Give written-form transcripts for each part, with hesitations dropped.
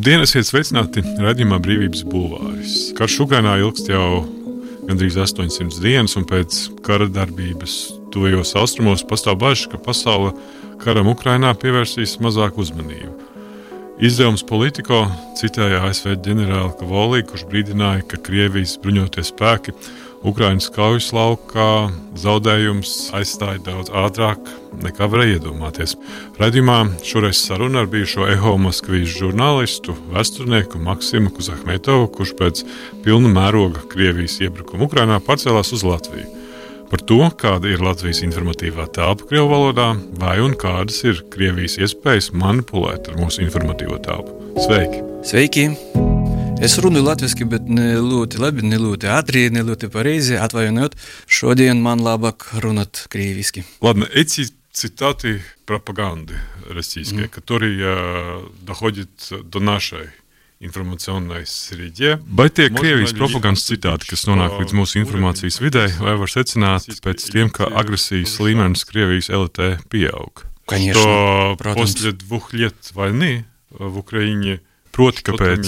Labdien, esiet sveicināti raidījumā Brīvības bulvāris. Karš Ukrainā ilgst jau gandrīz 800 dienas, un pēc kara darbības tuvajos austrumos pastāv bažas, ka pasaule karam Ukrainā pievērsīs mazāk uzmanību. Izdevums Politico citēja ASV ģenerāli Kavolī, kurš brīdināja, ka Krievijas bruņotie spēki Ukrainas kaujas laukā zaudējums aizstāja daudz ātrāk nekā varēja iedomāties. Raidījumā šoreiz saruna ar bijušo Eho Moskvijas žurnālistu, vēsturnieku Maksimu Kuzahmetovu, kurš pēc pilna mēroga Krievijas iebrukuma Ukrainā pārcēlās uz Latviju. Par to, kāda ir Latvijas informatīvā telpa krievu valodā, vai un kādas ir Krievijas iespējas manipulēt ar mūsu informatīvo telpu. Sveiki! Sveiki! Es runāju latviski, bet ne ļoti labi, ne ļoti ātri, ne ļoti pareizi. Atvainojiet, šodien man labāk runāt krieviski. Ладно, эти цитаты пропаганды российской, которые доходят до нашей informaционной srīdē. Vai tie Krievijas propagandas citāti, kas nonāk līdz mūsu informācijas vidē, vai var secināt pēc tiem, ka agresijas līmenis Krievijas elitē pieaug? Конечно, после 2 лет войны в Украине, proti, ka pēc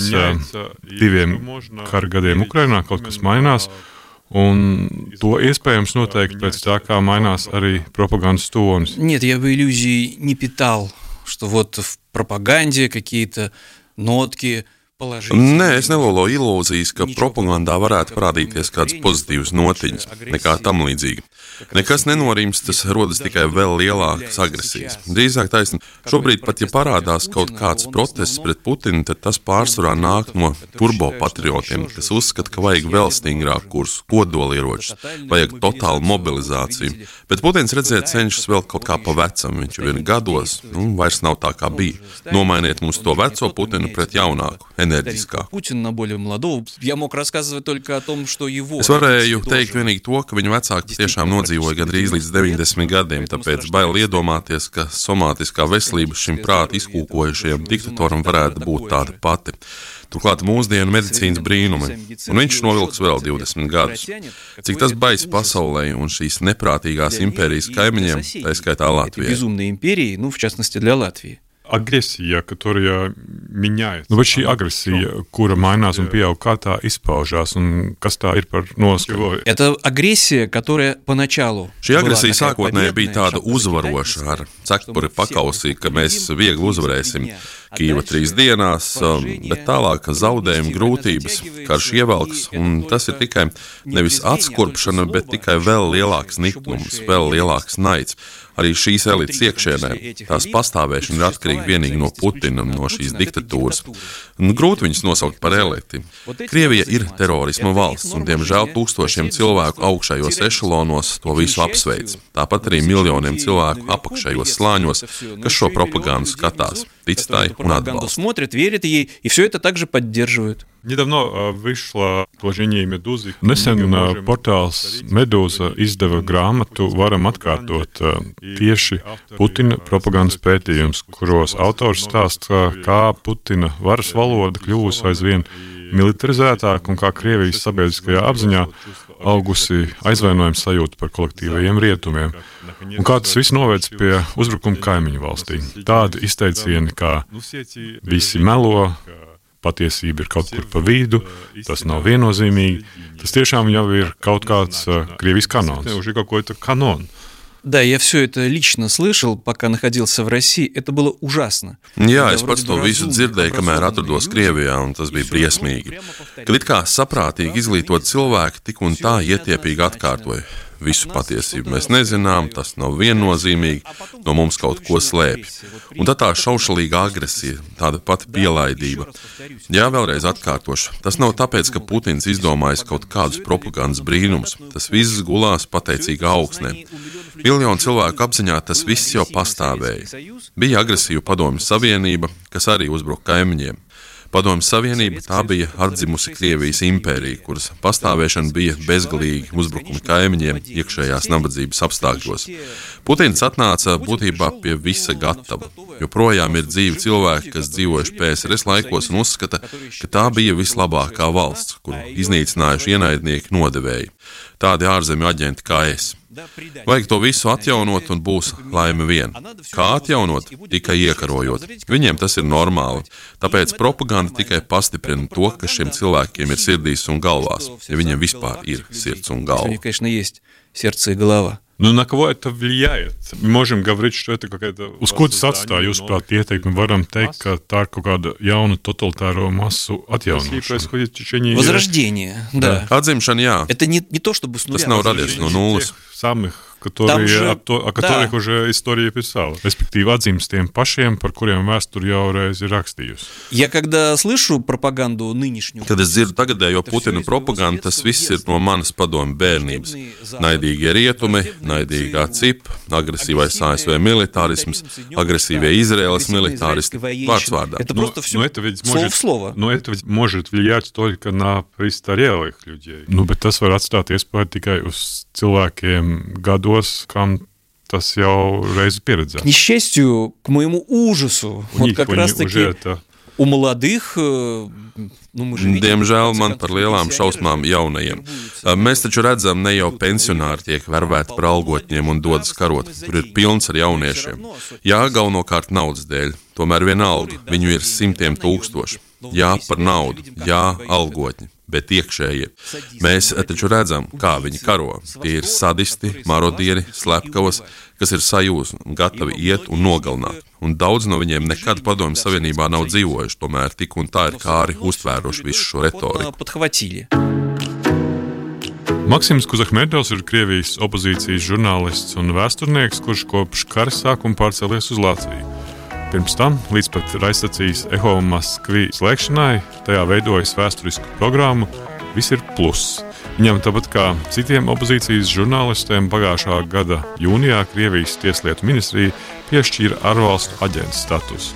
2 kara gadiem Ukrainā kaut kas mainās, un to iespējams noteikt pēc tā, kā mainās arī propagandas tonis. Нет, я бы иллюзий не питал, что вот в пропаганде какие-то notki. Nē, es neloloju ilūzijas, ka propagandā varētu parādīties kāds pozitīvs notiņas, nekā tam līdzīga. Nekas nenorimst, tas rodas tikai vēl lielākas agresijas. Drīzāk taisni, šobrīd pat, ja parādās kaut kāds protests pret Putinu, tad tas pārsvarā nāk no turbopatriotiem, kas uzskata, ka vajag vēl stingrāku kursu, kodolieročus, vajag totālu mobilizāciju. Bet Putins, redzēt, cenšas vēl kaut kā pa vecam, viņš jau ir gados, vairs nav tā kā bija. Nomainiet mums to veco Putinu pret jaunāku, enerģiskāku. Es varēju teikt vienīgi to, ka viņa vecāki tiešām nodzīvoja gandrīz līdz 90 gadiem, tāpēc bail iedomāties, ka somātiskā veselība šim prāti izkūkojušajam diktatoram varētu būt tāda pati. Turklāt mūsdienu medicīnas brīnumi, un viņš novilks vēl 20 gadus. Cik tas baisi pasaulē un šīs neprātīgās impērijas kaimiņiem, tā skaitā Latvijai. Agresija, которая меняется. Bet šī agresija, kura mainās un pieaug, kā tā izpaužās un kas tā ir par noskaņu? Это агрессия, которая поначалу. Šī agresija sākotnēji bija tāda uzvaroša ar cepuri pakausī, ka mēs viegli uzvarēsim Kīva 3 dienās, bet tālāk zaudējumi, grūtības, karš ievelks, un tas ir tikai nevis atskurpšana, bet tikai vēl lielāks niknums, vēl lielāks naids. Arī šīs elites iekšēnē, tās pastāvēšana ir atkarīga vienīgi no Putina, no šīs diktatūras. Grūti viņus nosaukt par eliti. Krievija ir terorisma valsts, un diemžēl tūkstošiem cilvēku augšējos ešalonos to visu apsveic. Tāpat arī miljoniem cilvēku apakšējos slāņos, kas šo propagandu skatās, tic tai un atbalsta. Недавно вышло положение Медузы. Nesen portāls Medūza izdeva grāmatu Varam atkārtot tieši Putina propagandas pētījums, kuros autors stāsta, kā Putina varas valoda kļuvusi aizvien militarizētāk un kā Krievijas sabiedriskajā apziņā augusi aizvainojuma sajūta par kolektīvajiem rietumiem. Un kā tas viss novēc pie uzbrukuma kaimiņu valstī. Tādi izteicieni, kā visi melo, patiesība ir kaut kur pa vidu, tas nav viennozīmīgi. Tas tiešām jau ir kaut kāds Krievijas kanons. Уже какой-то канон. Да, я все это лично слышал, пока находился в России. Это было ужасно. Jā, es pats to visu dzirdēju, kamēr atrados Krievijā, un tas bija briesmīgi. Kad it kā saprātīgi izglītot cilvēki tik un tā ietiepīgi atkārtoja. Visu patiesību mēs nezinām, tas nav viennozīmīgi, no mums kaut ko slēpj. Un tad tā šaušalīga agresija, tāda pati pielaidība. Jā, vēlreiz atkārtošu, tas nav tāpēc, ka Putins izdomājis kaut kādus propagandas brīnumus. Tas viss gulās pateicīga augsnē. Miljonu cilvēku apziņā tas viss jau pastāvēja. Bija agresīva Padomju Savienība, kas arī uzbruka kaimiņiem. Padomju Savienība tā bija atdzimusi Krievijas impērija, kuras pastāvēšana bija bezgalīgi uzbrukumi kaimiņiem iekšējās nabadzības apstākļos. Putins atnāca būtībā pie visa gatava. Joprojām ir dzīvi cilvēki, kas dzīvojuši PSRS laikos un uzskata, ka tā bija vislabākā valsts, kuru iznīcinājuši ienaidnieki nodevēji. tādi ārzemju aģenti kā es. Vajag to visu atjaunot un būs laime vien. Kā atjaunot? Tikai iekarojot. Viņiem tas ir normāli. Tāpēc propaganda tikai pastiprina to, kas šiem cilvēkiem ir sirdīs un galvās, ja viņiem vispār ir sirds un galva. Ну, на кого это влияет? Мы можем говорить, что это какая-то... Uz ko tas atstāja, jūsuprāt, ieteikumi? Varam teikt, ka tā ir kaut kāda jauna totalitāro masu atjaunošana. Возрождение, да. Atzimšana, jā. Это не то, чтобы с нуля. Tas nav radies no nulles. Самых, которые, о которых уже история писала. Респективно, atzīmes tiem pašiem, par kuriem vēsture jau reiz ir rakstījusi. Я когда слышу пропаганду нынешнюю... Kad es dzirdu tagadējo Putina propagandu, tas viss ir no manas padomju bērnības. Naidīgie rietumi, naidīgā CIP, agresīvais ASV militārisms, agresīvie Izraēlas militāristi. Vārds vārdā. Это просто все слово в слово. Но это ведь может влиять только на престарелых людей. Nu, bet tas var atstāt iespēju tikai uz cilvēkiem gados, kam tas jau reiz pieredzēts. К несчастью, к моему ужасу, вот как раз-таки у молодых... Diemžēl man par lielām šausmām jaunajiem. Mēs taču redzam, ne jau pensionāri tiek vervēti par algotņiem un dodas karot. Tur ir pilns ar jauniešiem. Jā, galvenokārt naudas dēļ. Tomēr vienalga, viņu ir simtiem tūkstoši. Jā, par naudu. Jā, algotņi. Bet iekšējie. Mēs taču redzam, kā viņi karo. Tie ir sadisti, marodieri, slepkavas, kas ir sajūsmi un gatavi iet un nogalināt. Un daudz no viņiem nekad Padomju Savienībā nav dzīvojuši, tomēr tik un tā ir kāri uztvēruši visu šo retoriku. Maksims Kuzahmedovs ir Krievijas opozīcijas žurnālists un vēsturnieks, kurš kopš kara sākuma pārcēlies uz Latviju. Pirms tam, līdz pat raidstacijas Eho Maskvi slēgšanai, tajā veidojas vēsturisku programmu Viss ir pluss. Viņam tāpat kā citiem opozīcijas žurnālistiem pagājušā gada jūnijā Krievijas tieslietu ministrija piešķīra ārvalstu aģenta statusu.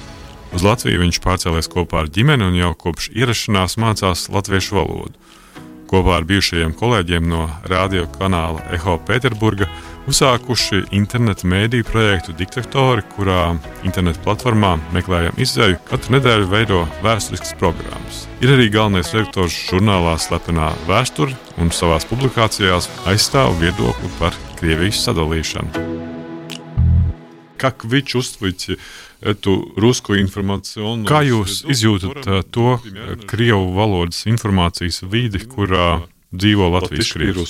Uz Latviju viņš pārcēlies kopā ar ģimeni un jau kopš ierašanās mācās latviešu valodu. Kopā ar bijušajiem kolēģiem no radio kanāla Eho Pēterburga uzsākuši interneta mēdīju projektu Diktatori, kurā interneta platformā Meklējam izēju katru nedēļu veido vēsturiskas programmas. Ir arī galvenais redaktors žurnālā Slepenā vēsture un savās publikācijās aizstāv viedokli par Krievijas sadalīšanu. Как вы чувствуете эту русскую информационную... Kā jūs izjūtat to krievu valodas informācijas vidi, kurā dzīvo Latvijas krievi?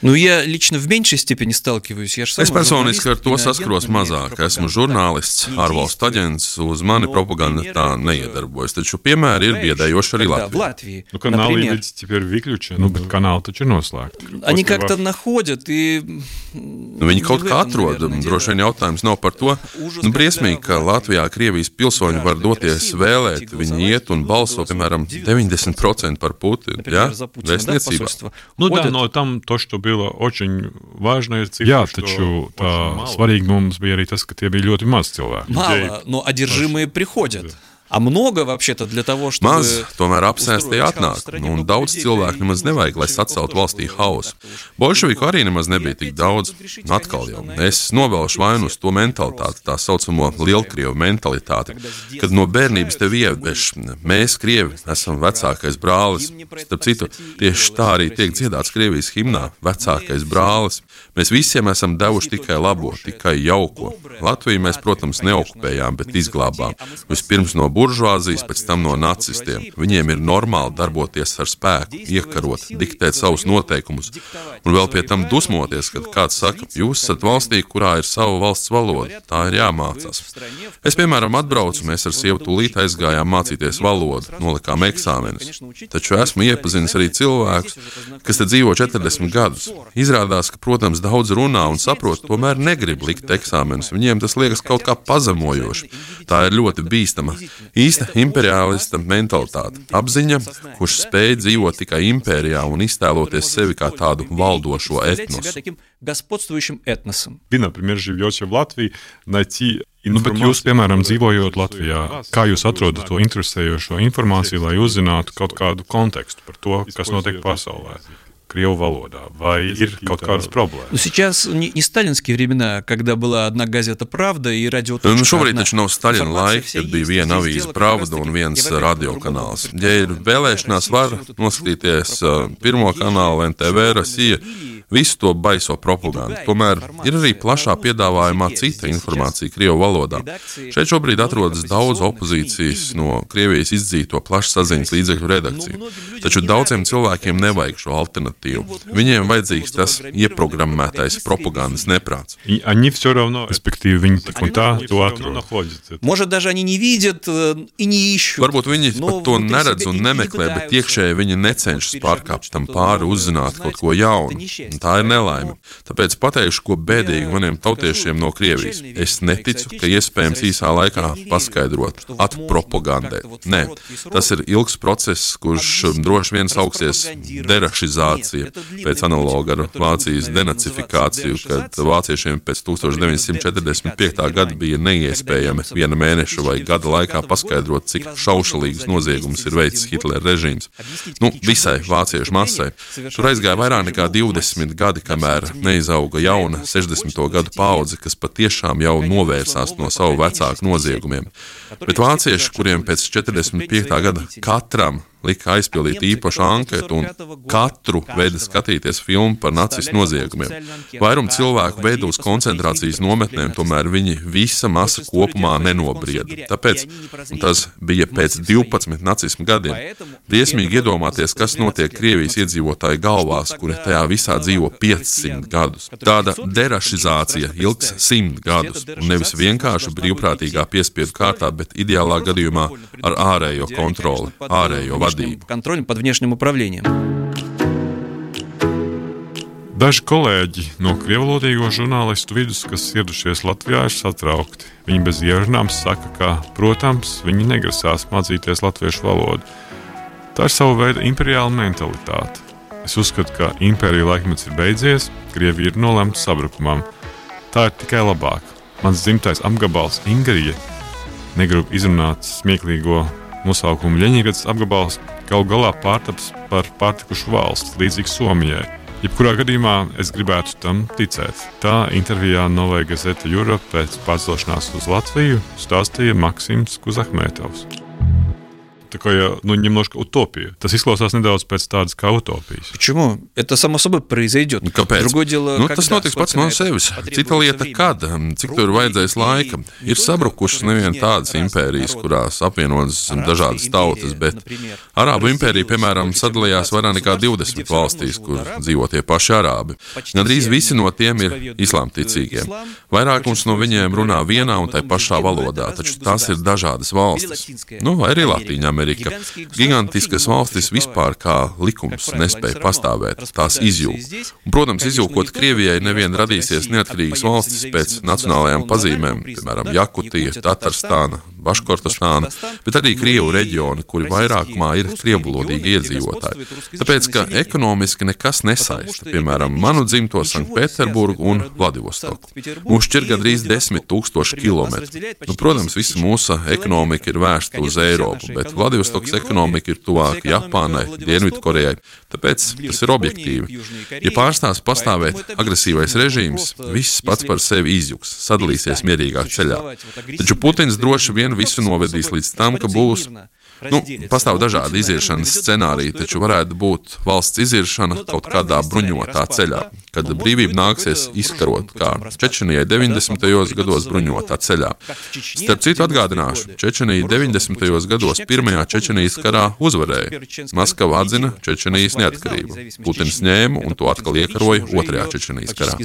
Nu, я лично в меньшей степени сталкиваюсь. Es personiski ar to saskaros mazāk. Esmu žurnālists, ārvalstu aģents, uz mani propaganda tā neiedarbojas. Taču piemēri ir biedējoši arī Latvijā. Nu, kanāli ведь теперь выключены, nu, bet kanāli taču ir noslēgti. Они как-то находят и... Viņi kaut kā atrod, droši vien jautājums nav par to. Nu, briesmīgi, ka Latvijā Krievijas pilsoņi var doties vēlēt, viņi iet un balso, piemēram, 90% par Putinu, jā? Vēstniecībā. Nu, да, но там то, что было очень важная цифра. Jā, taču tā svarīgi mums bija arī tas, ka tie bija ļoti maz cilvēki. Мало, но одержимые приходят. А много вообще-то для того, чтобы... Maz, tomēr apsēstie atnāk, un daudz cilvēku nemaz nevajag, lai saceltu valstī hausu. Bolševiku arī nemaz nebija tik daudz. Atkal jau, es novelšu vainu uz to mentalitāti, tā saucamo lielkrievu mentalitāti, kad no bērnības tev ieveš, mēs, Krievi, esam vecākais brālis. Starp citu, tieši tā arī tiek dziedāts Krievijas himnā, vecākais brālis. Mēs visiem esam devuši tikai labo, tikai jauko. Latviju mēs, protams, neokupējām, bet izglābām. Vispirms no buržuāzijas, pēc tam no nacistiem. Viņiem ir normāli darboties ar spēku, iekarot, diktēt savus noteikumus. Un vēl pie tam dusmoties, kad kāds saka, jūs esat valstī, kurā ir sava valsts valoda. Tā ir jāmācās. Es, piemēram, atbraucu, mēs ar sievu tūlīt aizgājām mācīties valodu, nolikām eksāmenus. Taču esmu iepazinis arī cilvēkus, kas te dzīvo 40 gadus. Izrādās, ka, protams, daudz runā un saprot, tomēr negrib likt eksāmenus. Viņiem tas liekas kaut kā pazemojoši. Tā ir ļoti bīstama. Īsta imperialista mentalitāte, apziņa, kurš spēj dzīvot tikai impērijā un iztēloties sevi kā tādu valdošo etnosu. Вы, например, живете в Латвии, найти Nu, bet jūs, piemēram, dzīvojot Latvijā, kā jūs atrodat to interesējošo informāciju, lai uzzinātu kaut kādu kontekstu par to, kas notiek pasaulē? Krievu valodā, vai ir kaut kādas problēmas? Ну, сейчас не сталинские времена, когда была одна газета «Правда» и радио «Точка». Šobrīd taču nav Staļina laika, kad bija viena avīze Pravda un viens radiokanāls. Ja ir vēlēšanās, var noskatīties pirmo kanālu NTV, Rasija, visu to baiso propagandu. Tomēr ir arī plašā piedāvājumā cita informācija Krievu valodā. Šeit šobrīd atrodas daudz opozīcijas no Krievijas izdzīto plašsaziņas līdzekļu redakciju. Taču daudziem cilvēkiem nevajag šo alternatīvu. Viņiem vajadzīgs tas ieprogrammētais propagandas neprāts. Они все равно, respektīvi, viņi tik un tā to atrod. Может, даже они не видят и не ищут. Varbūt viņi pat to neredz un nemeklē, bet iekšēji viņi necenšas pārkāpt tam pāri, uzzināt kaut ko jaunu. Un tā ir nelaime. Tāpēc pateikšu, ko bēdīgi maniem tautiešiem no Krievijas. Es neticu, ka iespējams īsā laikā paskaidrot, atpropagandēt. Nē, tas ir ilgs process, kurš droši vien sauksies derašizācija, pēc analoga ar Vācijas denacifikāciju, kad vāciešiem pēc 1945. gada bija neiespējami viena mēneša vai gada laikā paskaidrot, cik šaušalīgas noziegumus ir veicis Hitlera režīms. Visai vāciešu masai. Tur aizgāja vairāk nekā 20 gadi, kamēr neizauga jauna 60. gadu paudze, kas patiešām jau novērsās no savu vecāku noziegumiem. Bet vācieši, kuriem pēc 45. gada katram lika aizpildīt īpašu anketu un katru veidu skatīties filmu par nacistu noziegumiem. Vairum cilvēku veido uz koncentrācijas nometnēm, tomēr viņi visa masa kopumā nenobrieda. Tāpēc tas bija pēc 12 nacismu gadiem. Briesmīgi iedomāties, kas notiek Krievijas iedzīvotāju galvās, kuri tajā visā dzīvo 500 gadus. Tāda derašizācija ilgs 100 gadus, un nevis vienkārši brīvprātīgā piespiedu kārtā, bet ideālā gadījumā ar ārējo kontroli, ārējo vadību. Контролем под внешним управлением. Daži kolēģi no krievvalodīgo žurnālistu vidus, kas ieradušies Latvijā, ir satraukti. Viņi bez ierunām saka, ka, protams, viņi negrasās mācīties latviešu valodu. Tā ir sava veida imperiāla mentalitāte. Es uzskatu, ka impērija laikmets ir beidzies, Krievija ir nolemta sabrukumam. Tā ir tikai labāk. Mans dzimtais apgabals Ingrija, negribu izrunāt smieklīgo nosaukumu Ļeņigads apgabals, galu galā pārtaps par pārtikušu valsts, līdzīgu Somijai. Jebkurā gadījumā es gribētu tam ticēt. Tā intervijā Novaya Gazeta Europe pēc pārcelšanās uz Latviju stāstīja Maksims Kuzahmetovs. Такая, немножко утопия. Tas izklausās nedaudz pēc tādas kā utopijas. Почему? Это само собой произойдет. Kāpēc? Другое дело, Tas notiks pats no sevis. Cita lieta, kad, cik tur vajadzēs laika. Ir sabrukušas nevien tādas impērijas, kurās apvienotas dažādas tautas, bet Arābu impērija, piemēram, sadalījās vairāk nekā 20 valstīs, kur dzīvo tie paši arābi. Gandrīz visi no tiem ir islāmticīgie. Vairākums no viņiem runā vienā un tai pašā valodā, taču tās ir dažādas valstis. Vai arī Latīņa Amerika. Gigantiskas valstis vispār kā likums nespēja pastāvēt, tās izjūg. Un, protams, izjūkot Krievijai nevien radīsies neatkarīgas valstis pēc nacionālajām pazīmēm, piemēram, Jakutija, Tatarstāna, Baškortostāna, bet arī Krievu reģioni, kuri vairākumā ir krievvalodīgi iedzīvotāji. Tāpēc, ka ekonomiski nekas nesaista, piemēram, manu dzimto Sanktpēterburgu un Vladivostoku. Mūs šķir gandrīz 10 000 kilometru. Protams, visa mūsu ekonomika ir vērsta uz Eiropu, bet Vladivostokas ekonomika ir tuvāk Japānai, Dienvidkorejai, tāpēc tas ir objektīvi. Ja pārstās pastāvēt agresīvais režīms, viss pats par sevi izjuks, sadalīsies mierīgāk ceļā. Taču Putins droši vien visu novedīs līdz tam, ka būs pastāv dažādi iziešanas scenāriji, taču varētu būt valsts iziešana kaut kādā bruņotā ceļā, kad brīvība nāksies izkarot, kā Čečenijai 90. gados bruņotā ceļā. Starp citu atgādināšu, Čečenija 90. gados pirmajā Čečenijas karā uzvarēja. Maskava atzina Čečenijas neatkarību. Putins ņēma un to atkal iekaroja otrajā Čečenijas karā.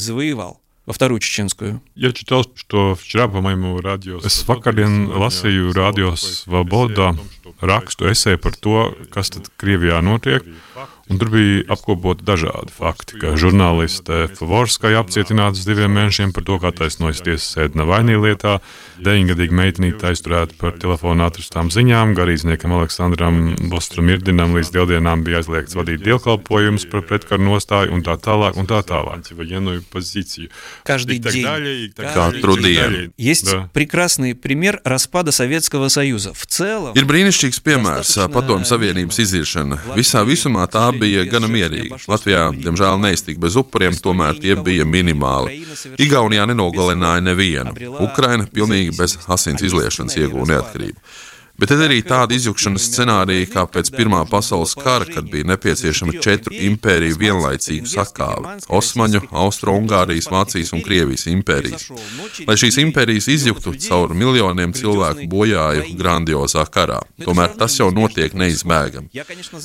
Во вторую чеченскую. Я читал, что вчера, по-моему, Es vakardien lasīju Radio Svoboda rakstu esē par to, kas tad Krievijā notiek, un tur bija apkopoti dažādi fakti, ka žurnāliste Favorskaja apcietināta uz 2 mēnešiem par to, kā taisnojas tiesas sēde Navaļnī lietā, 9-gadīga meitenīte aizturēta par telefonu atrastām ziņām, garīdzniekam Aleksandram Bostrumirdinam līdz 2 dienām bija aizliegts vadīt dievkalpojumus par pretkaru nostāju un tā tālāk un tā tālāk. Каждый и так день. далее, и так Katru далее. dienu. Есть Да. прекрасный пример распада Советского Союза. В целом, Ir brīnišķīgs piemērs Padomju Savienības iziešana. Visā visumā tā bija gana mierīga. Latvijā, diemžēl, neiztika bez upuriem, tomēr tie bija minimāli. Igaunijā nenogalināja nevienu. Ukraina pilnīgi bez asins izliešanas ieguva neatkarību. Bet tad arī tāda izjukšanas scenārija kā pēc Pirmā pasaules kara, kad bija nepieciešama 4 impēriju vienlaicīgu sakāvi - Osmaņu, Austro-Ungārijas, Vācijas un Krievijas impērijas. Lai šīs impērijas izjuktu caur miljoniem cilvēku bojāju grandiozā karā. Tomēr tas jau notiek neizbēgami.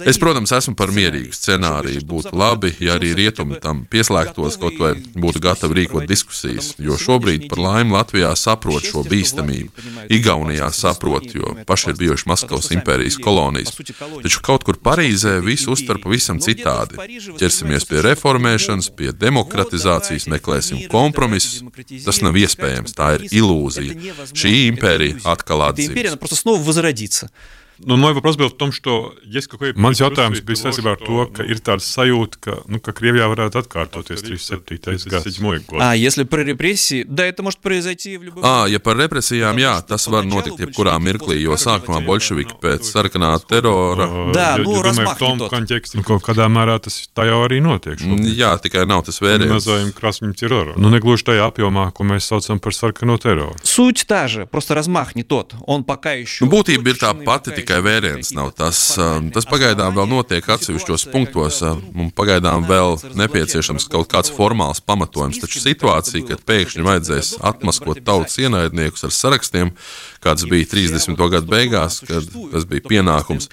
Es, protams, esmu par mierīgu scenāriju. Būtu labi, ja arī rietumi tam pieslēgtos, kaut vai būtu gatavi rīkot diskusijas, jo šobrīd par laimi Latvijā saprot šo bīstamību. Igaunijā saprot, jo paši ir bijuši Maskavas impērijas kolonijas. Taču kaut kur Parīzē visu uztver pavisam citādi. Ķersimies pie reformēšanas, pie demokratizācijas, meklēsim kompromisus. Tas nav iespējams, tā ir ilūzija. Šī impērija atkal atzīst. Мой вопрос был в том, что есть какой-то... Mans jautājums bija saistībā ar to, ka ir tāda sajūta, ka Krievijā varētu atkārtoties 37. gads. Если про репрессии, да, это может произойти в любом... Ja par represijām, jā, tas var notikt jebkurā mirklī, jo sākumā bolševiki pēc sarkanā terora... Да, ну, размах не тот. Контексте, kaut kādā mērā tas tā jau arī notiek. Jā, tikai nav tas vēriens. Называем красным террором. Nu, negluži tajā apjomā, ko mēs saucam par sarkano teroru. Суть та же, просто размах не тот. Он пока еще... Būtība ir tā pati, tikai vēriens nav tas. Tas pagaidām vēl notiek atsevišķos punktos, un pagaidām vēl nepieciešams kaut kāds formāls pamatojums, taču situācija, kad pēkšņi vajadzēs atmaskot tautas ienaidniekus ar sarakstiem, kāds bija 30. gadu beigās, kad tas bija pienākums.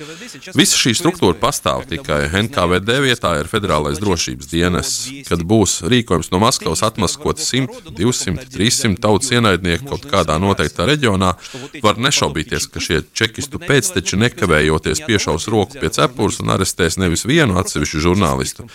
Visa šī struktūra pastāv, tikai NKVD vietā ir Federālais drošības dienests, kad būs rīkojums no Maskavas atmaskot 100, 200, 300 tautas ienaidnieku kaut kādā noteiktā reģionā, var nešaubīties, ka šie čekistu pēcteči nekavējoties piešaus roku pie cepures un arestēs nevis vienu atsevišķu žurnālistu,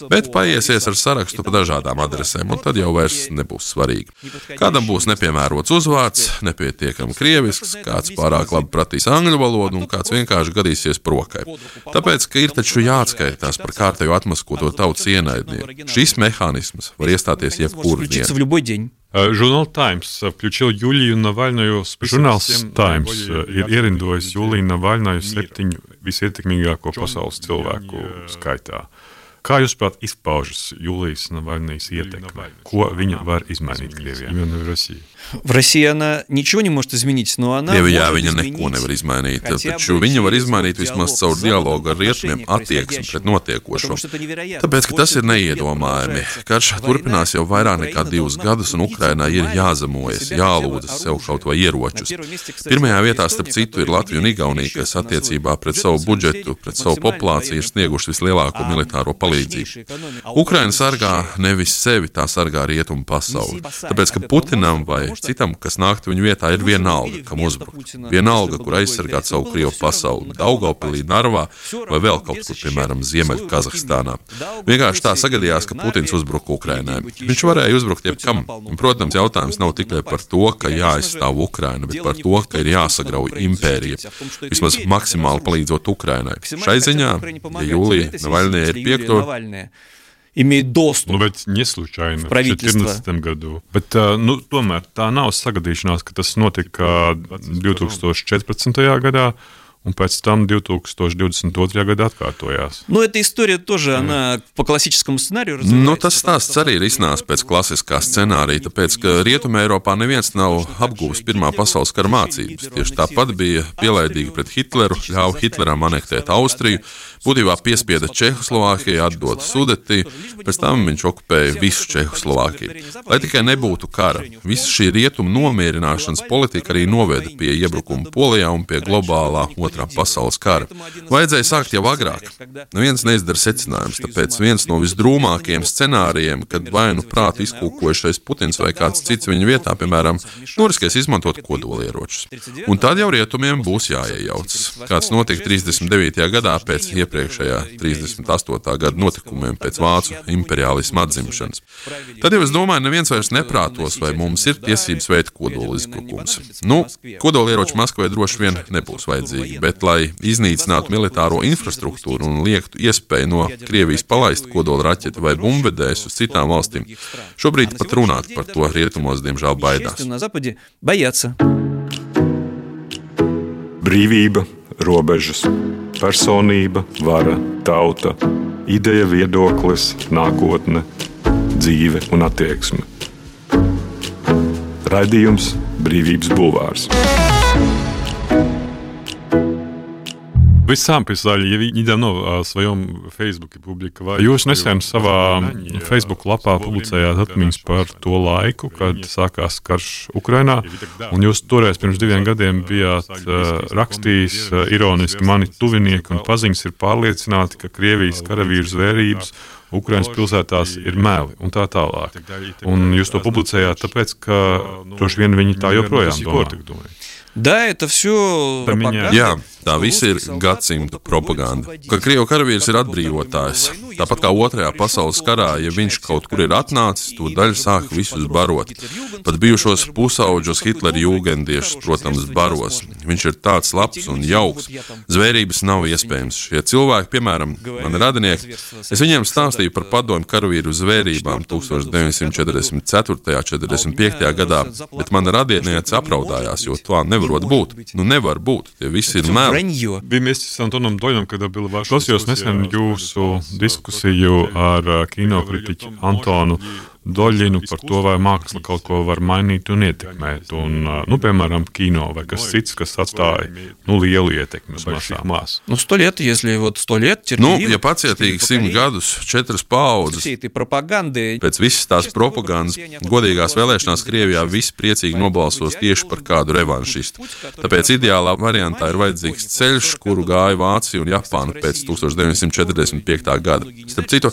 bet paiesies ar sarakstu pa dažādām adresēm, un tad jau vairs nebūs svarīgi. Kādam būs nepiemērots uzvārds, nepietiekami krievisks, kāds pārāk labi pratīs angļu valodu un kāds vienkārši gadīsies prokai. Tāpēc, ka ir taču jāatskaitās par kārtējo atmaskoto tautas ienaidnieku. Šis mehānisms var iestāties jebkuru dienu. Žurnāl Times включил Юлию Навальную. Žurnāls Times ir ierindojis Juliju Navalnaju 7 visietekmīgāko pasaules cilvēku skaitā. Kā jūs prāt izpaužas Julijas Навальнijas ietekme? Ko viņa var izmainīt Krievijā? Именно в России. В России она ничего не может изменить, но она Krievijā viņa neko nevar izmainīt, taču viņa var izmainīt vismaz caur dialogu ar rietumiem attieksmi pret notiekošo. Tāpēc, ka tas ir neiedomājami. Karš turpinās jau vairāk nekā 2 gadus, un Ukrainai ir jāzemojas, jālūdzas sev kaut vai ieročus. Pirmajā vietā, starp citu, ir Latvija un Igaunija, kas attiecībā pret savu budžetu, pret savu populāciju ir snieguši vislielāko militāro palīdzību. Ukraina sargā nevis sevi, tā sargā rietumu pasauli. Tāpēc, ka Putinam vai citam, kas nāktu viņu vietā, ir vienalga, kam uzbrukt. Vienalga, kur aizsargāt savu Krievu pasauli, Daugavpilī, Narvā vai vēl kaut kur, piemēram, Ziemeļu Kazahstānā. Vienkārši tā sagadījās, ka Putins uzbruka Ukrainai. Viņš varēja uzbrukt jebkam. Un, protams, jautājums nav tikai par to, ka jāaizstāv Ukraina, bet par to, ka ir jāsagrauj impērija. Vismaz maksimāli palīdzot Ukrainai. Šai ziņā, ja Julija Навальная ir piekto, имеет доступ. Nu, bet не случайно в 2014. году. Bet, tomēr tā nav sagadīšanās, ka tas notika 2014. gadā, un pēc tam 2022. gadā atkārtojās. Ну, эта история тоже, она по классическому сценарию развивается. Nu, tas stāsts arī ir iznācis pēc klasiskā scenārija, tāpēc, ka Rietumē Eiropā neviens nav apguvis Pirmā pasaules kara mācības. Tieši tāpat bija pielaidīgi pret Hitleru, ļāva Hitleram anektēt Austriju, būtībā piespieda Čehoslovākiju, atdot Sudetiju, pēc tam viņš okupēja visu Čehoslovākiju. Lai tikai nebūtu kara, visa šī rietumu nomierināšanas politika arī noveda pie iebrukuma Polijā un pie globālā Otrā pasaules kara. Vajadzēja sākt jau agrāk. Neviens neizdara secinājums, tāpēc viens no visdrūmākajiem scenārijiem, kad vai nu prātu izkūkojušais Putins vai kāds cits viņa vietā, piemēram, noriskēs izmantot kodolieročus. Un tad jau rietumiem būs jāiejaucas. Kāds notika 39. gadā pēc iepriekšējā 38. gada notikumiem pēc vācu imperiālisma atzimšanas. Tad jau es domāju, neviens vairs neprātos, vai mums ir tiesības veikt kodoli izbrukums. Nu, kodolieroči Maskavai droši vien nebūs vajadzīgi. bet lai iznīcinātu militāro infrastruktūru un liektu iespēju no Krievijas palaist kodola raķeti vai bumbvedējus uz citām valstīm, šobrīd pat runāt par to rietumos, diemžēl, baidās. Brīvība, robežas, personība, vara, tauta, ideja, viedoklis, nākotne, dzīve un attieksme. Raidījums Brīvības bulvārs. Вы сам писали, я недавно в своем Фейсбуке публиковали. Jūs nesen savā Facebook lapā publicējāt atmiņas par to laiku, kad sākās karš Ukrainā, un jūs toreiz pirms 2 gadiem bijāt rakstījis ironiski, mani tuvinieki un paziņas ir pārliecināti, ka Krievijas karavīru zvērības Ukrainas pilsētās ir meli un tā tālāk. Un jūs to publicējāt tāpēc, ka droši vien viņi tā joprojām domā. Да, это все пропаганда. Jā, tā viss ir gadsimta propaganda. Ka Krievu karavīrs ir atbrīvotājs. Tāpat kā Otrajā pasaules karā, ja viņš kaut kur ir atnācis, to daļu sāk visus barot. Pat bijušos pusauģos Hitlera jūgendiešus, protams, baros. Viņš ir tāds labs un jauks. Zvērības nav iespējams. Šie cilvēki, piemēram, mani radinieki, es viņiem stāstīju par padomju karavīru zvērībām 1944. 45. gadā, bet mana radiniece apraudājās, jo tā nevarot būt. Nu nevar būt, tie visi ir meli. Вместе с Антоном Дольным, когда было ваше... Klausījos nesen jūsu diskusiju ar kinokritiķu Antonu Doļinu par to, vai māksla kaut ko var mainīt un ietekmēt. Un, piemēram, kino vai kas cits, kas atstāja lielu ietekmi uz masām. 100 лет, если вот 100 лет терпеливо... ja pacietīgi 100 gadus, 4 paaudzes, pēc visas tās propagandas, godīgās vēlēšanās Krievijā visi priecīgi nobalsos tieši par kādu revanšistu. Tāpēc ideālā variantā ir vajadzīgs ceļš, kuru gāja Vācija un Japāna pēc 1945. gada. Starp citu,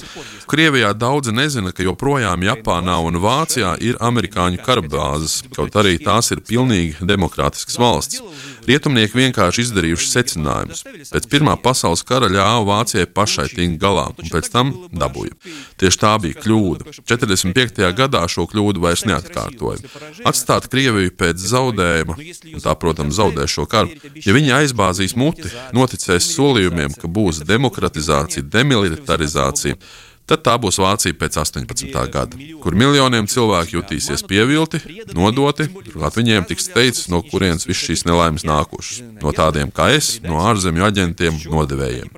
Krievijā daudzi nezina, ka joprojām Japānā un Vācijā ir amerikāņu karabāzes, kaut arī tās ir pilnīgi demokrātiskas valsts. Rietumnieki vienkārši izdarījuši secinājumus. Pēc Pirmā pasaules kara ļāva Vācijai pašai tikt galā, un pēc tam dabūja. Tieši tā bija kļūda. 45. gadā šo kļūdu vairs neatkārtoja. Atstāt Krieviju pēc zaudējuma, un tā, protams, zaudē šo karu, ja viņi aizbāzīs muti, noticēs solījumiem, ka būs demokratizācija, demilitarizācija, tad tā būs Vācija pēc 18. gada, kur miljoniem cilvēku jutīsies pievilti, nodoti, turklāt viņiem tiks teikts, no kurienes viss šīs nelaimes nākušas. No tādiem kā es, no ārzemju aģentiem, nodevējiem.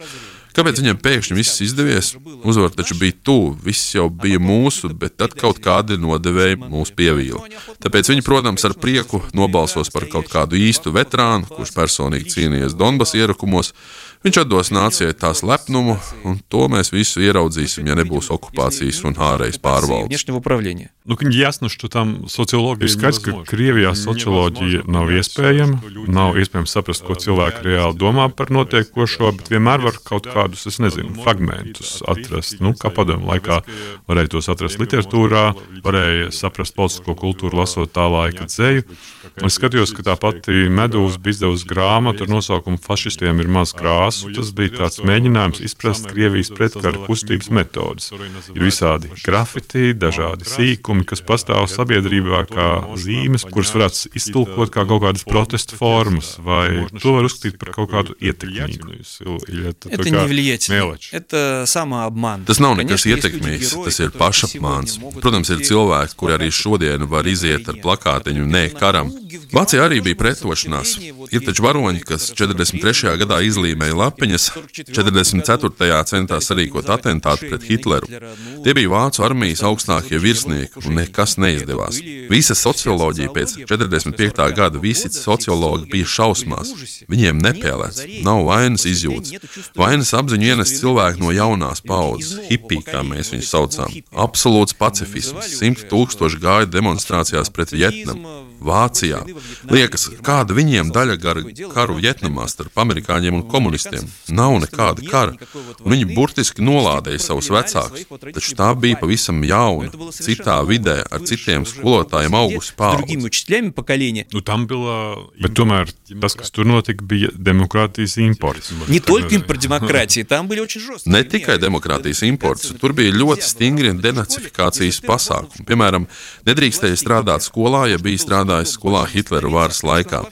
Kāpēc viņiem pēkšņi viss izdevies? Uzvar taču bija tuvu, viss jau bija mūsu, bet tad kaut kādi nodevēji mūs pievīla. Tāpēc viņi, protams, ar prieku nobalsos par kaut kādu īstu veterānu, kurš personīgi cīnījies Donbas ierakumos. Viņš atdos nācijai tās lepnumu, un to mēs visu ieraudzīsim, ja nebūs okupācijas un ārējas pārvaldes. Ясно, что там социология skaidrs, ka Krievijā socioloģija nav iespējama, nav iespējams saprast, ko cilvēki reāli domā par notiekošo, bet vienmēr var kaut kādus, es nezinu, fragmentus atrast. Kā padomju laikā varēja tos atrast literatūrā, varēja saprast politisko kultūru, lasot tā laika dzeju. Es skatījos, ka tā pati Medūza bija izdevusi grāmatu ar nosaukumu Fašistiem ir maz krāsu. Tas bija tāds mēģinājums izprast Krievijas pretkara kustības metodas. Ir visādi grafiti, dažādi sīkumi, kas pastāv sabiedrībā kā zīmes, kuras varētu iztulkot kā kaut kādas protesta formas, vai to var uzskatīt par kaut kādu ietekmīgu. Это не влиятельно. Это самообман. Tas nav nekas ietekmīgs, tas ir pašapmāns. Protams, ir cilvēki, kuri arī šodien var iziet ar plakātiņu nē karam. Vācijā arī bija pretošanās. Ir taču varoņi, kas 43. gadā izlīmēja lapiņas, 44. centās sarīkot atentātu pret Hitleru. Tie bija Vācu armijas augstākie virsnieki, un nekas neizdevās. Visa socioloģija pēc 45. gada, visi sociologi bija šausmās. Viņiem nepēlēts, nav vainas izjūtas. Vainas apziņu ienes cilvēki no jaunās paudzes, hipī, kā mēs viņus saucām. Absolūts pacifisms, 100 000 gāja demonstrācijās pret Vietnamu. Vācijā. Liekas, kāda viņiem daļa karu Vietnamā starp amerikāņiem un komunistiem. Nav nekāda kara. Un viņi burtiski nolādēja savus vecākus. Taču tā bija pavisam jauna, citā vidē, ar citiem skolotājiem augusi paudze. Bet tomēr tas, kas tur notika, bija demokrātijas imports. Ne tikai demokrātijas imports, tur bija ļoti stingri denacifikācijas pasākumi. Piemēram, nedrīkstēja strādāt skolā, ja bija strādāt strādājis skolā Hitlera varas laikā.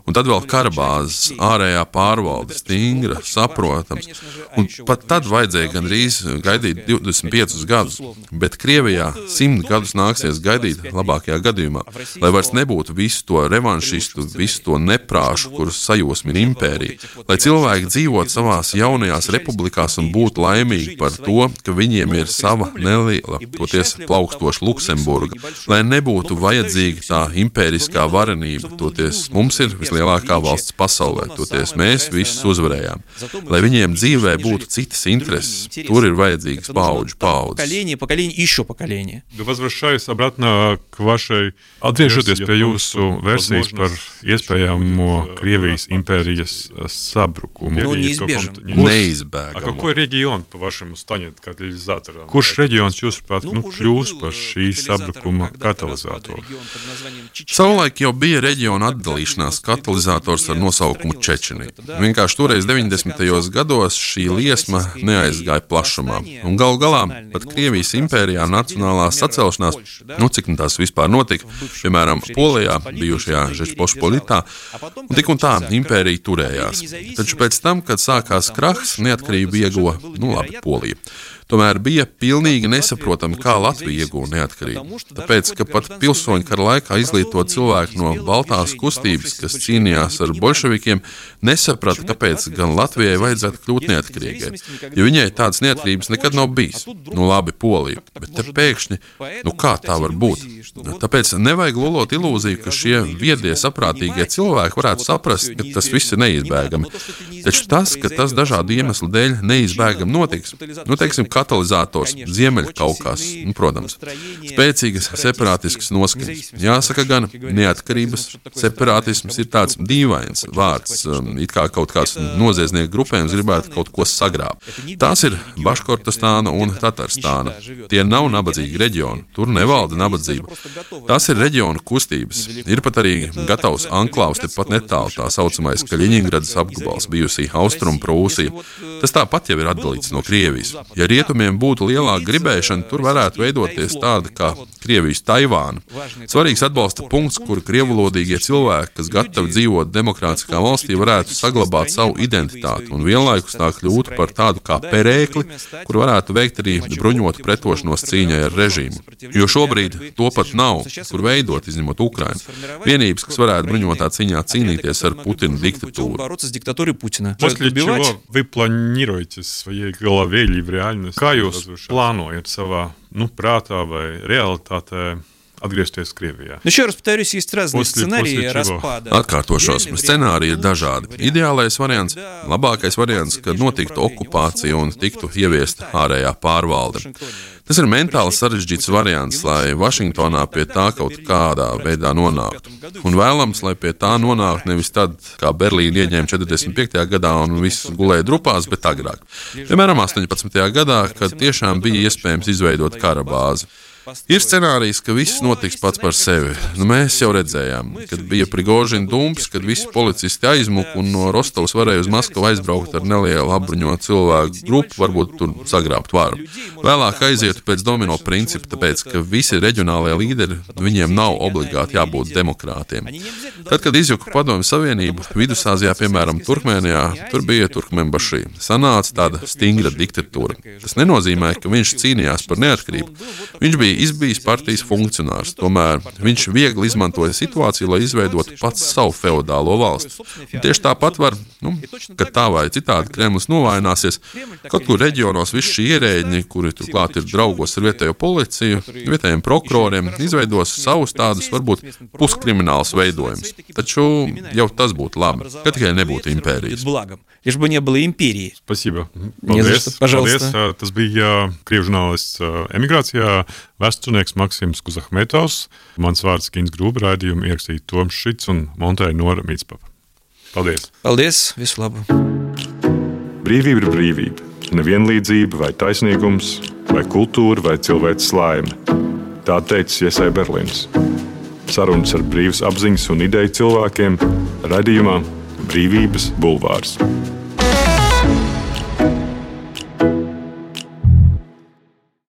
Un tad vēl karabāzes, ārējā pārvalde, stingra, saprotams. Un pat tad vajadzēja gandrīz gaidīt 25 gadus, bet Krievijā 100 gadus nāksies gaidīt labākajā gadījumā, lai vairs nebūtu visu to revanšistu, visu to neprāšu, kurus sajosmi ir impērija, lai cilvēki dzīvot savās jaunajās republikās un būtu laimīgi par to, ka viņiem ir sava neliela, toties plaukstoša Luksemburga, lai nebūtu vajadzīga tā impēriskā varenība, toties mums ir vislielākā valsts pasaulē, toties mēs visus uzvarējām. Lai viņiem dzīvē būtu citas intereses, tur ir vajadzīgas paudzes. Atgriežoties pie jūsu versijas par iespējamo Krievijas impērijas sabrukumu. Neizbēgamo. Какой регион, по-вашему, станет катализатором? Kurš reģions, jūsuprāt, kļūs par šī sabrukuma katalizatoru? Savulaik jau bija reģiona atdalīšanās katalizators ar nosaukumu Čečenija. Vienkārši toreiz 90. gados šī liesma neaizgāja plašumā. Un galu galā pat Krievijas impērijā nacionālā sacelšanās, cik tās vispār notika, piemēram, Polijā, bijušajā Žečpospolitā, un tā impērija turējās. Taču pēc tam, kad sākās krahs, neatkarību ieguva, Polija. Tomēr bija pilnīgi nesaprotami, kā Latvija iegūta neatkarību. Tāpēc, ka pat pilsoņu kara laikā izglītot cilvēki no Baltās kustības, kas cīnījās ar bolševikiem, nesaprata, kāpēc gan Latvijai vajadzētu kļūt neatkarīgai. Jo viņai tādas neatkarības nekad nav bijis. Labi, Polija, bet te pēkšņi, kā tā var būt? Tāpēc nevajag lolot ilūziju, ka šie viedie, saprātīgie cilvēki varētu saprast, ka tas viss ir neizbēgami. Taču tas, ka tas dažādu iemeslu dēļ neizbēgami notiks, teiksim, katalizators, Ziemeļkaukās, protams, spēcīgas separātiskas noskaņas. Jāsaka gan, neatkarības separātisms ir tāds dīvains vārds, it kā kaut kāds noziedznieku grupējums gribētu kaut ko sagrābt. Tās ir Baškortastāna un Tatarstāna. Tie nav nabadzīgi reģioni, tur nevalda nabadzība. Tās ir reģionu kustības. Ir pat arī gatavs anklāvs tepat netālu, tā saucamais Kaļiņingradas apgabals, bijusī Austrumu Prūsija. Tas tāpat jau ir atdalīts no Krievijas. Ja rietumiem būtu lielāka gribēšana, tur varētu veidoties tāda kā Krievijas Taivāna. Svarīgs atbalsta punkts, kur krievulodīgie cilvēki, kas gatavi dzīvot demokrātiskā valstī, varētu saglabāt savu identitāti un vienlaikus tā kļūt par tādu kā perēkli, kur varētu veikt arī bruņotu pretošanos cīņai ar režīmu. Jo šobrīd to pat nav, kur veidot, izņemot Ukrainu. Vienības, kas varētu bruņotā cīņā cīnīties ar Putina diktatūru. После чего вы планируете в своей голове или в реальности? Kā jūs plānojat savā prātā vai realitātē atgriezties Krievijā? Еще раз повторюсь, есть разные сценарии распада. Atkārtošos, scenāriji ir dažādi. Ideālais variants, labākais variants, kad notiktu okupācija un tiktu ieviesta ārējā pārvalde. Tas ir mentāli sarežģīts variants, lai Vašingtonā pie tā kaut kādā veidā nonāktu. Un vēlams, lai pie tā nonāktu nevis tad, kā Berlīna ieņēma 45. gadā un viss gulēja drupās, bet agrāk. Piemēram, 18. gadā, kad tiešām bija iespējams izveidot kara bāzi. Ir scenārijs, ka viss notiks pats par sevi. Mēs jau redzējām, kad bija Prigožina dumps, kad visi policisti aizmuka un no Rostovas varēja uz Maskavu aizbraukt ar nelielu apbruņotu cilvēku grupu, varbūt tur sagrābt varu. Vēlāk aizietu pēc domino principa, tāpēc, ka visi reģionālie līderi, viņiem nav obligāti jābūt demokrātiem. Tad, kad izjuka Padomju Savienību, Vidusāzijā, piemēram, Turkmēnijā, tur bija Turkmenbašī. Sanāca tāda stingra diktatūra. Tas nenozīmē, ka viņš cīnījās par neatkarību. Viņš bija izbijis partijas funkcionārs, tomēr viņš viegli izmantoja situāciju, lai izveidotu pats savu feodālo valsti. Un tieši tāpat var, kad tā vai citādi Kremlis novājināsies, kaut kur reģionos visi šie ierēģi, kuri turklāt ir draugos ar vietējo policiju, vietējiem prokuroriem, izveidos savus tādus, varbūt puskriminālus veidojumus. Taču jau tas būtu labi, ka tikai nebūtu impērijas. Лишь бы не было империи. Спасибо. Paldies. Tas bija krievu žurnālists emigrācijā, vēsturnieks Maksims Kuzahmetovs. Mans vārds Gins Grūba, raidījumu ierakstīja Toms Šits un montēja Nora Mītspapa. Paldies. Paldies, visu labu. Brīvība ir brīvība. Nevienlīdzība vai taisnīgums, vai kultūra vai cilvēks laime. Tā teicis Iesai Berlīns. Sarunas ar brīvas apziņas un ideju cilvēkiem raidījumā Brīvības bulvārs.